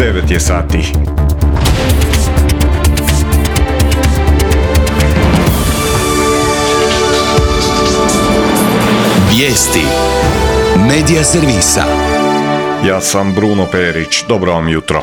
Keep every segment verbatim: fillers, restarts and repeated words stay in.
devet je sati. Vijesti Medija servisa. Ja sam Bruno Perić, dobro vam jutro.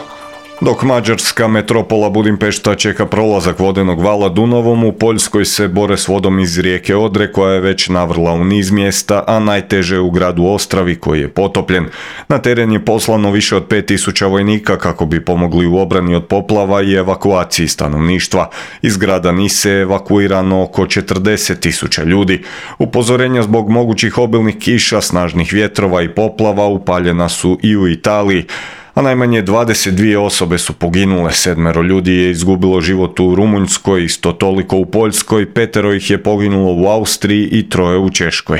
Dok mađarska metropola Budimpešta čeka prolazak vodenog vala Dunavom, u Poljskoj se bore s vodom iz rijeke Odre koja je već navrla u niz mjesta, a najteže u gradu Ostravi koji je potopljen. Na teren je poslano više od pet tisuća vojnika kako bi pomogli u obrani od poplava i evakuaciji stanovništva. Iz grada Nise je evakuirano oko četrdeset tisuća ljudi. Upozorenja zbog mogućih obilnih kiša, snažnih vjetrova i poplava upaljena su i u Italiji. A najmanje dvadeset dvije osobe su poginule, sedmero ljudi je izgubilo život u Rumunjskoj, isto toliko u Poljskoj, petero ih je poginulo u Austriji i troje u Češkoj.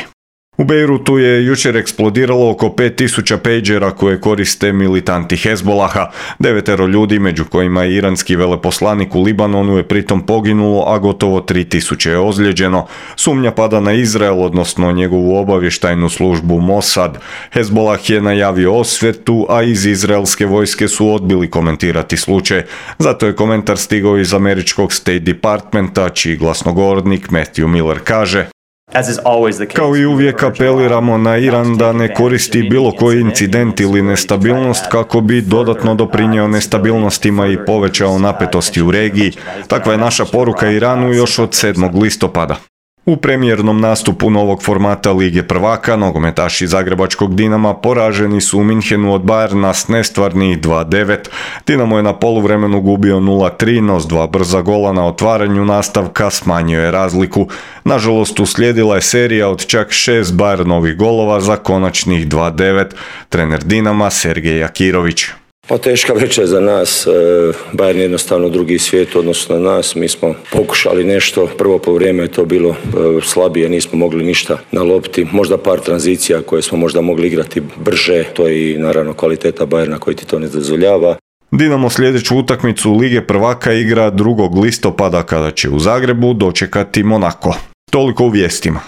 U Bejrutu je jučer eksplodiralo oko pet tisuća pejđera koje koriste militanti Hezbolaha. Devetero ljudi, među kojima je iranski veleposlanik u Libanonu, je pritom poginulo, a gotovo tri tisuće je ozlijeđeno. Sumnja pada na Izrael, odnosno njegovu obavještajnu službu Mossad. Hezbolah je najavio osvetu, a iz izraelske vojske su odbili komentirati slučaj. Zato je komentar stigao iz američkog State Departmenta, čiji glasnogovornik Matthew Miller kaže: Kao i uvijek apeliramo na Iran da ne koristi bilo koji incident ili nestabilnost kako bi dodatno doprinio nestabilnostima i povećao napetosti u regiji. Takva je naša poruka Iranu još od sedmog listopada. U premijernom nastupu novog formata Lige prvaka, nogometaši zagrebačkog Dinama poraženi su u Minhenu od Bayerna s nestvarnih dva devet. Dinamo je na poluvremenu gubio nula tri, no s dva brza gola na otvaranju nastavka smanjio je razliku. Nažalost, uslijedila je serija od čak šest Bayernovih golova za konačnih dva devet. Trener Dinama Sergej Jakirović. Pa teška večer za nas, Bayern je jednostavno drugi svijet odnosno na nas, mi smo pokušali nešto, prvo po vrijeme je to bilo slabije, nismo mogli ništa na lopti, možda par tranzicija koje smo možda mogli igrati brže, to je i naravno kvaliteta Bayerna koji ti to ne dozvoljava. Dinamo sljedeću utakmicu Lige prvaka igra drugog listopada kada će u Zagrebu dočekati Monako. Toliko u vijestima.